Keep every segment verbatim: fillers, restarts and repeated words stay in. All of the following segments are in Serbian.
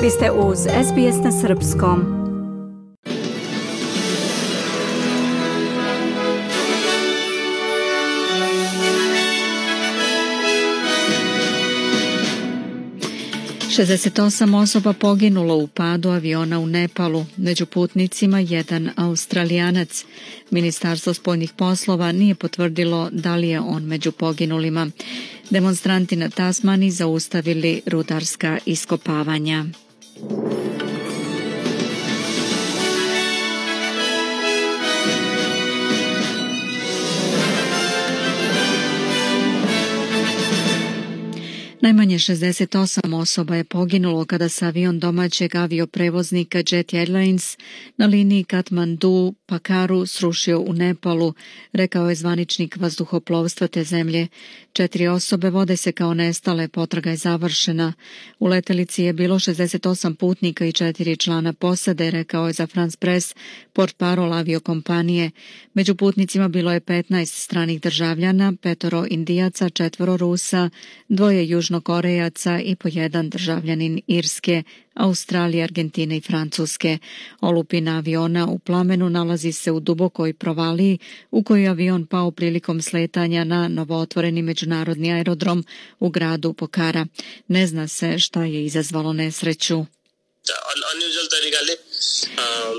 Vi ste uz S B S na srpskom. šezdeset osam osoba poginulo u padu aviona u Nepalu, među putnicima jedan Australijanac. Ministarstvo spoljnih poslova nije potvrdilo da li je on među poginulima. Demonstranti na Tasmaniji zaustavili rudarska iskopavanja. Najmanje šezdeset osam osoba je poginulo kada se avion domaćeg avioprevoznika Jet Airlines na liniji Katmandu-Pakaru srušio u Nepalu, rekao je zvaničnik vazduhoplovstva te zemlje. Četiri osobe vode se kao nestale, potraga je završena. U letelici je bilo šezdeset osam putnika i četiri člana posade, rekao je za France Press portparol aviokompanije. Među putnicima bilo je petnaest stranih državljana, petoro Indijaca, četvoro Rusa, dvoje Južnokorejaca i po jedan državljanin Irske, Australije, Argentine i Francuske. Olupina aviona u plamenu nalazi se u dubokoj provaliji u kojoj je avion pao prilikom sletanja na novootvoreni međunarodni aerodrom u gradu Pokhara. Ne zna se šta je izazvalo nesreću.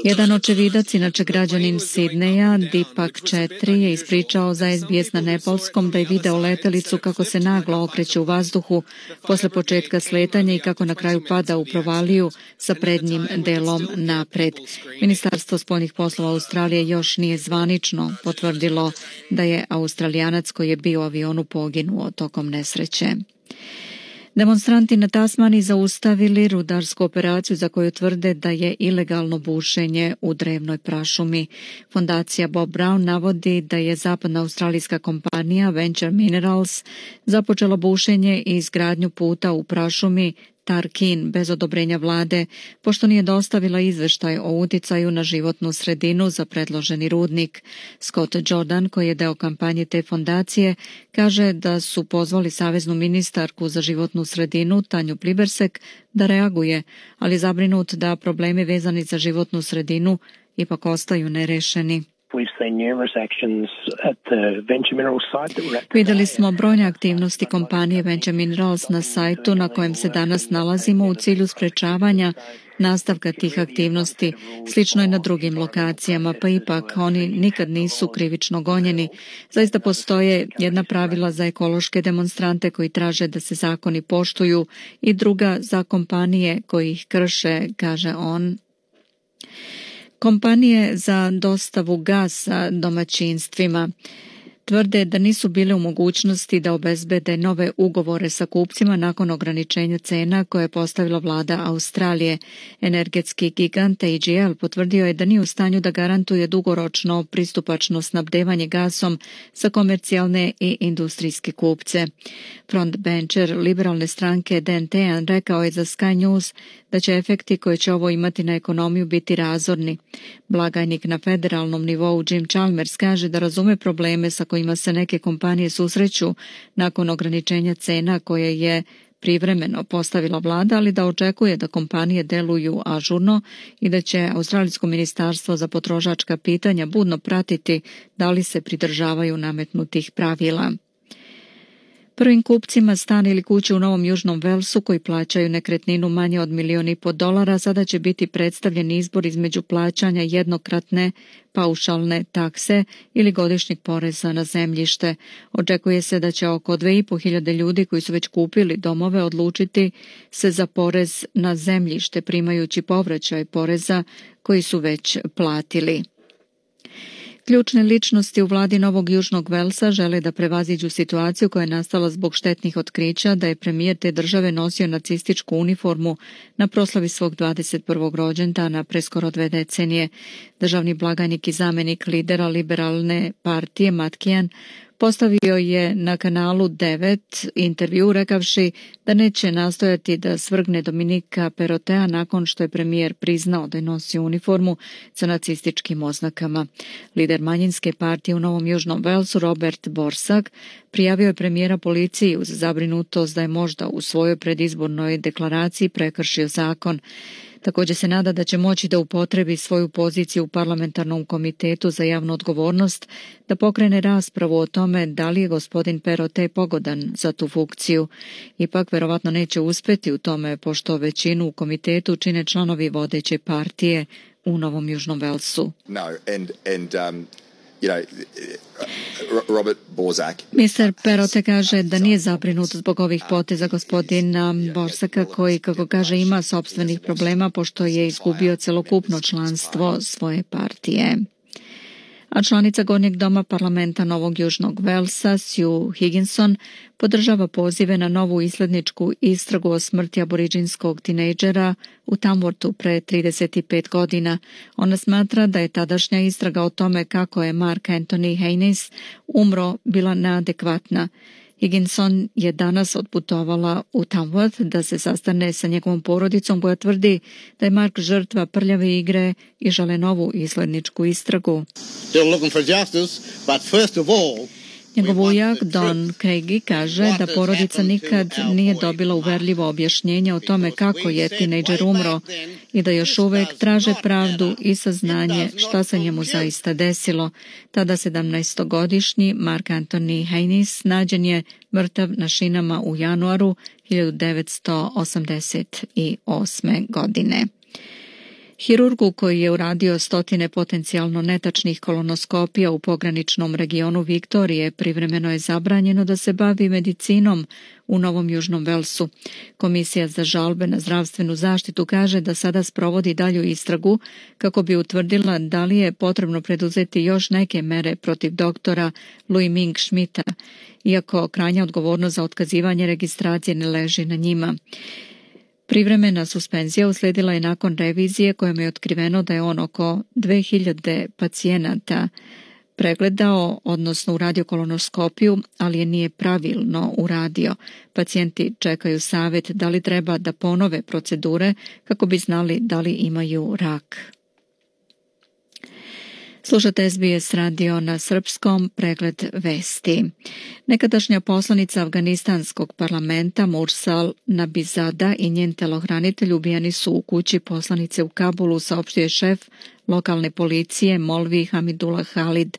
Jedan očevidac, inače građanin Sidneja, Deepak četiri, je ispričao za S B S na nepalskom da je video letelicu kako se naglo okreće u vazduhu posle početka sletanja i kako na kraju pada u provaliju sa prednjim delom napred. Ministarstvo spoljnih poslova Australije još nije zvanično potvrdilo da je Australijanac koji je bio u avionu poginuo tokom nesreće. Demonstranti na Tasmaniji zaustavili rudarsku operaciju za koju tvrde da je ilegalno bušenje u drevnoj prašumi. Fondacija Bob Brown navodi da je zapadna australijska kompanija Venture Minerals započela bušenje i izgradnju puta u prašumi Tarkin bez odobrenja vlade, pošto nije dostavila izveštaj o uticaju na životnu sredinu za predloženi rudnik. Scott Jordan, koji je deo kampanje te fondacije, kaže da su pozvali saveznu ministarku za životnu sredinu Tanju Plibersek da reaguje, ali zabrinut da problemi vezani za životnu sredinu ipak ostaju nerešeni. Vidjeli smo brojne aktivnosti kompanije Venture Minerals na sajtu na kojem se danas nalazimo u cilju sprečavanja nastavka tih aktivnosti. Slično je na drugim lokacijama, pa ipak oni nikad nisu krivično gonjeni. Zaista postoje jedna pravila za ekološke demonstrante koji traže da se zakoni poštuju i druga za kompanije koji ih krše, kaže on. Kompanije za dostavu gasa domaćinstvima tvrde da nisu bile u mogućnosti da obezbede nove ugovore sa kupcima nakon ograničenja cena koje je postavila vlada Australije. Energetski gigant A G L potvrdio je da nije u stanju da garantuje dugoročno pristupačno snabdevanje gasom za komercijalne i industrijske kupce. Frontbencher liberalne stranke Dan Tehan rekao je za Sky News da će efekti koje će ovo imati na ekonomiju biti razorni. Blagajnik na federalnom nivou Jim Chalmers kaže da razume probleme sa kojima se neke kompanije susreću nakon ograničenja cena koje je privremeno postavila vlada, ali da očekuje da kompanije deluju ažurno i da će Australijsko ministarstvo za potrošačka pitanja budno pratiti da li se pridržavaju nametnutih pravila. Prvim kupcima stana ili kuće u Novom Južnom Velsu koji plaćaju nekretninu manje od milijon i po dolara sada će biti predstavljen izbor između plaćanja jednokratne paušalne takse ili godišnjeg poreza na zemljište. Očekuje se da će oko dve i po hiljade ljudi koji su već kupili domove odlučiti se za porez na zemljište primajući povraćaj poreza koji su već platili. Ključne ličnosti u vladi Novog Južnog Velsa žele da prevaziđu situaciju koja je nastala zbog štetnih otkrića da je premijer te države nosio nacističku uniformu na proslavi svog dvadeset prvog rođendana pre skoro dve decenije. Državni blagajnik i zamenik lidera liberalne partije Matt Kean Postavio je na kanalu devet intervju rekavši da neće nastojati da svrgne Dominika Perrotea nakon što je premijer priznao da je nosio uniformu sa nacističkim oznakama. Lider manjinske partije u Novom Južnom Velsu Robert Borsak prijavio je premijera policiji uz zabrinutost da je možda u svojoj predizbornoj deklaraciji prekršio zakon. Također se nada da će moći da upotrebi svoju poziciju u parlamentarnom komitetu za javnu odgovornost da pokrene raspravu o tome da li je gospodin Perrottet pogodan za tu funkciju. Ipak verovatno neće uspjeti u tome pošto većinu u komitetu čine članovi vodeće partije u Novom Južnom Velsu. No, and, and, um... You know, Robert Borsak. mister Perrottet kaže da nije zabrinut zbog ovih poteza gospodina Borsaka koji, kako kaže, ima sopstvenih problema pošto je izgubio celokupno članstvo svoje partije. A članica Gornjeg doma parlamenta Novog Južnog Velsa, Sue Higginson, podržava pozive na novu isledničku istragu o smrti aboriđinskog tinejdžera u Tamworthu pre trideset pet godina. Ona smatra da je tadašnja istraga o tome kako je Mark Anthony Haynes umro bila neadekvatna. Higginson je danas otputovala u Tamworth da se sastane sa njegovom porodicom koja tvrdi da je Mark žrtva prljave igre i žele novu isledničku istragu. Njegov ujak Don Craigie kaže da porodica nikad nije dobila uverljivo objašnjenje o tome kako je tinejdžer umro i da još uvek traže pravdu i saznanje šta se njemu zaista desilo. Tada sedamnaestogodišnji Mark Anthony Haynes nađen je mrtav na šinama u januaru hiljadu devetsto osamdeset osme. godine. Hirurgu koji je uradio stotine potencijalno netačnih kolonoskopija u pograničnom regionu Viktorije privremeno je zabranjeno da se bavi medicinom u Novom Južnom Velsu. Komisija za žalbe na zdravstvenu zaštitu kaže da sada sprovodi dalju istragu kako bi utvrdila da li je potrebno preduzeti još neke mere protiv doktora Louis Ming Schmidta, iako krajnja odgovornost za otkazivanje registracije ne leži na njima. Privremena suspenzija usledila je nakon revizije kojom je otkriveno da je on oko dve hiljade pacijenata pregledao, odnosno uradio kolonoskopiju, ali je nije pravilno uradio. Pacijenti čekaju savjet da li treba da ponove procedure kako bi znali da li imaju rak. Slušate S B S radio na srpskom, pregled vesti. Nekadašnja poslanica Afganistanskog parlamenta Mursal Nabizada i njen telohranitelj ubijeni su u kući poslanice u Kabulu, saopštio je šef lokalne policije Molvi Hamidullah Khalid.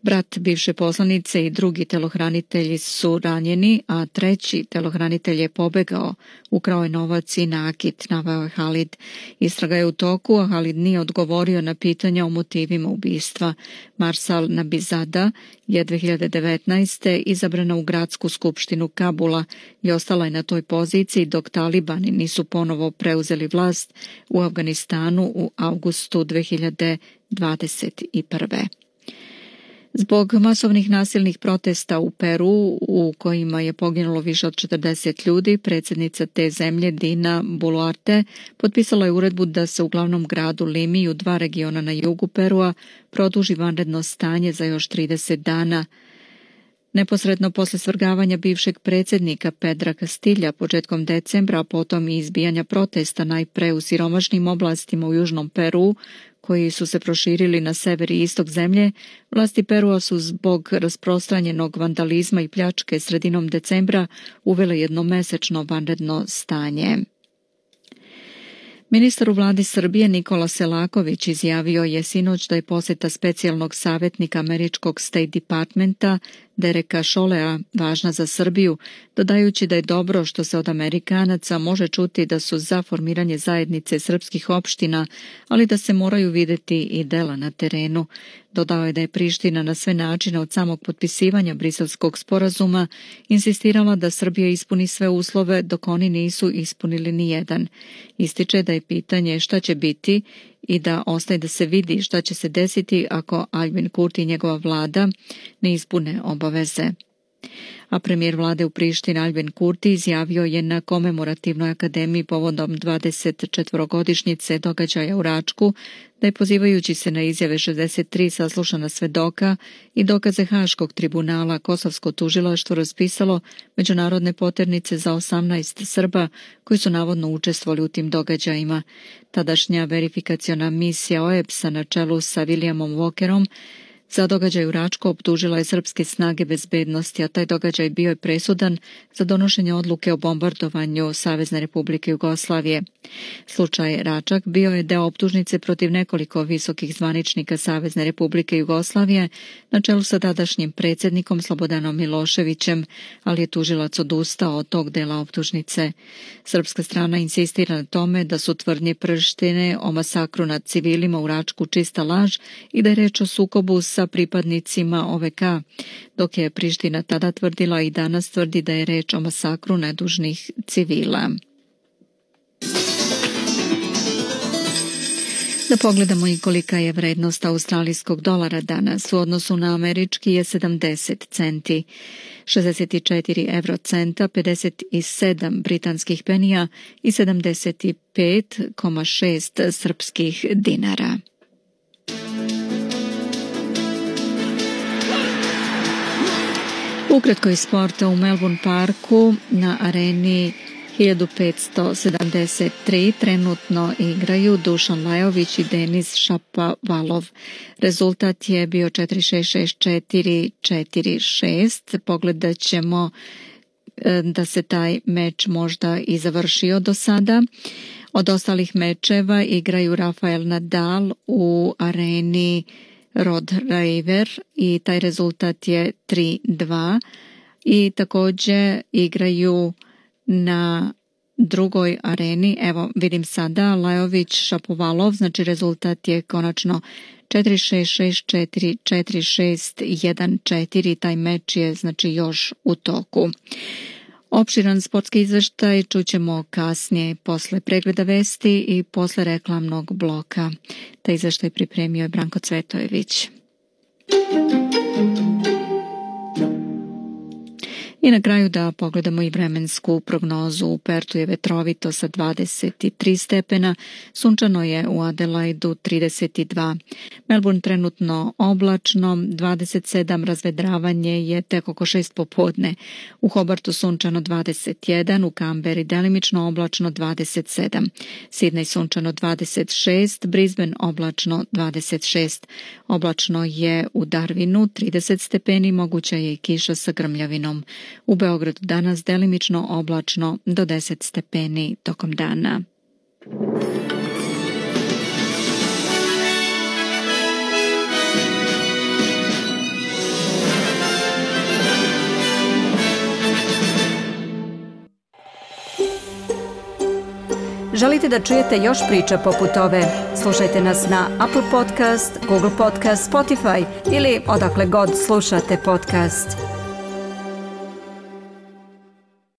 Brat bivše poslanice i drugi telohranitelji su ranjeni, a treći telohranitelj je pobegao, ukrao je novac i nakit, naveo je Khalid. Istraga je u toku, a Khalid nije odgovorio na pitanja o motivima ubistva. Marsal Nabizada je dve hiljade devetnaeste. izabrana u gradsku skupštinu Kabula i ostala je na toj poziciji dok talibani nisu ponovo preuzeli vlast u Afganistanu u avgustu dve hiljade dvadeset prve. Zbog masovnih nasilnih protesta u Peru, u kojima je poginulo više od četrdeset ljudi, predsjednica te zemlje Dina Boluarte potpisala je uredbu da se u glavnom gradu Limi u dva regiona na jugu Perua produži vanredno stanje za još trideset dana. Neposredno posle svrgavanja bivšeg predsjednika Pedra Castilja početkom decembra, a potom i izbijanja protesta najpre u siromašnim oblastima u južnom Peru, koji su se proširili na sever i istok zemlje, vlasti Perua su zbog rasprostranjenog vandalizma i pljačke sredinom decembra uvele jednomesečno vanredno stanje. Ministar u vladi Srbije Nikola Selaković izjavio je sinoć da je posjeta specijalnog savjetnika američkog State Departmenta Dereka Cholea važna za Srbiju, dodajući da je dobro što se od Amerikanaca može čuti da su za formiranje zajednice srpskih opština, ali da se moraju vidjeti i dela na terenu. Dodao je da je Priština na sve načine od samog potpisivanja Briselskog sporazuma insistirala da Srbija ispuni sve uslove dok oni nisu ispunili ni jedan. Ističe da je pitanje šta će biti i da ostaje da se vidi šta će se desiti ako Albin Kurti i njegova vlada ne ispune obaveze. A premijer vlade u Prištini Albin Kurti izjavio je na komemorativnoj akademiji povodom dvadeset četvorogodišnjice događaja u Račku da je, pozivajući se na izjave šezdeset tri saslušana svedoka i dokaze Haškog tribunala, kosovsko tužilaštvo raspisalo međunarodne poternice za osamnaest Srba koji su navodno učestvovali u tim događajima. Tadašnja verifikaciona misija O E B S-a na čelu sa Williamom Walkerom za događaj u Račku optužila je srpske snage bezbednosti, a taj događaj bio je presudan za donošenje odluke o bombardovanju Savezne Republike Jugoslavije. Slučaj Račak bio je deo optužnice protiv nekoliko visokih zvaničnika Savezne Republike Jugoslavije na čelu sa tadašnjim predsjednikom Slobodanom Miloševićem, ali je tužilac odustao od tog dela optužnice. Srpska strana insistira na tome da su tvrdnje Prištine o masakru nad civilima u Račku čista laž i da je reč o sukobu sa pripadnicima O V K, dok je Priština tada tvrdila i danas tvrdi da je reč o masakru nedužnih civila. Da pogledamo i kolika je vrednost australijskog dolara danas. U odnosu na američki je sedamdeset centi, šezdeset četiri evrocenta, pedeset sedam britanskih penija i sedamdeset pet zarez šest srpskih dinara. Ukratko iz sporta. U Melbourne parku na areni hiljadu petsto sedamdeset tri trenutno igraju Dušan Lajović i Denis Šapovalov. Rezultat je bio četiri šest šest četiri četiri šest. Pogledat ćemo da se taj meč možda i završio do sada. Od ostalih mečeva igraju Rafael Nadal u areni Rod Laver i taj rezultat je tri dva i također igraju na drugoj areni, evo vidim sada, Lajović Šapovalov, znači rezultat je konačno četiri šest šest četiri četiri šest jedan četiri, taj meč je znači još u toku. Opširan sportski izveštaj čućemo kasnije posle pregleda vesti i posle reklamnog bloka. Taj izveštaj pripremio je Branko Cvetojević. I na kraju da pogledamo i vremensku prognozu. U Pertu je vetrovito sa dvadeset tri stepena, sunčano je u Adelaidu trideset dva. Melbourne trenutno oblačno, dvadeset sedam, razvedravanje je tek oko šest popodne. U Hobartu sunčano dvadeset jedan, u Kamberi delimično oblačno dvadeset sedam. Sidney sunčano dvadeset šest, Brisbane oblačno dvadeset šest. Oblačno je u Darwinu trideset stepeni, moguća je i kiša sa grmljavinom. U Beogradu danas delimično oblačno do deset stepeni tokom dana. Želite da čujete još priča poput ove? Slušajte nas na Apple Podcast, Google Podcast, Spotify ili odakle god slušate podcast.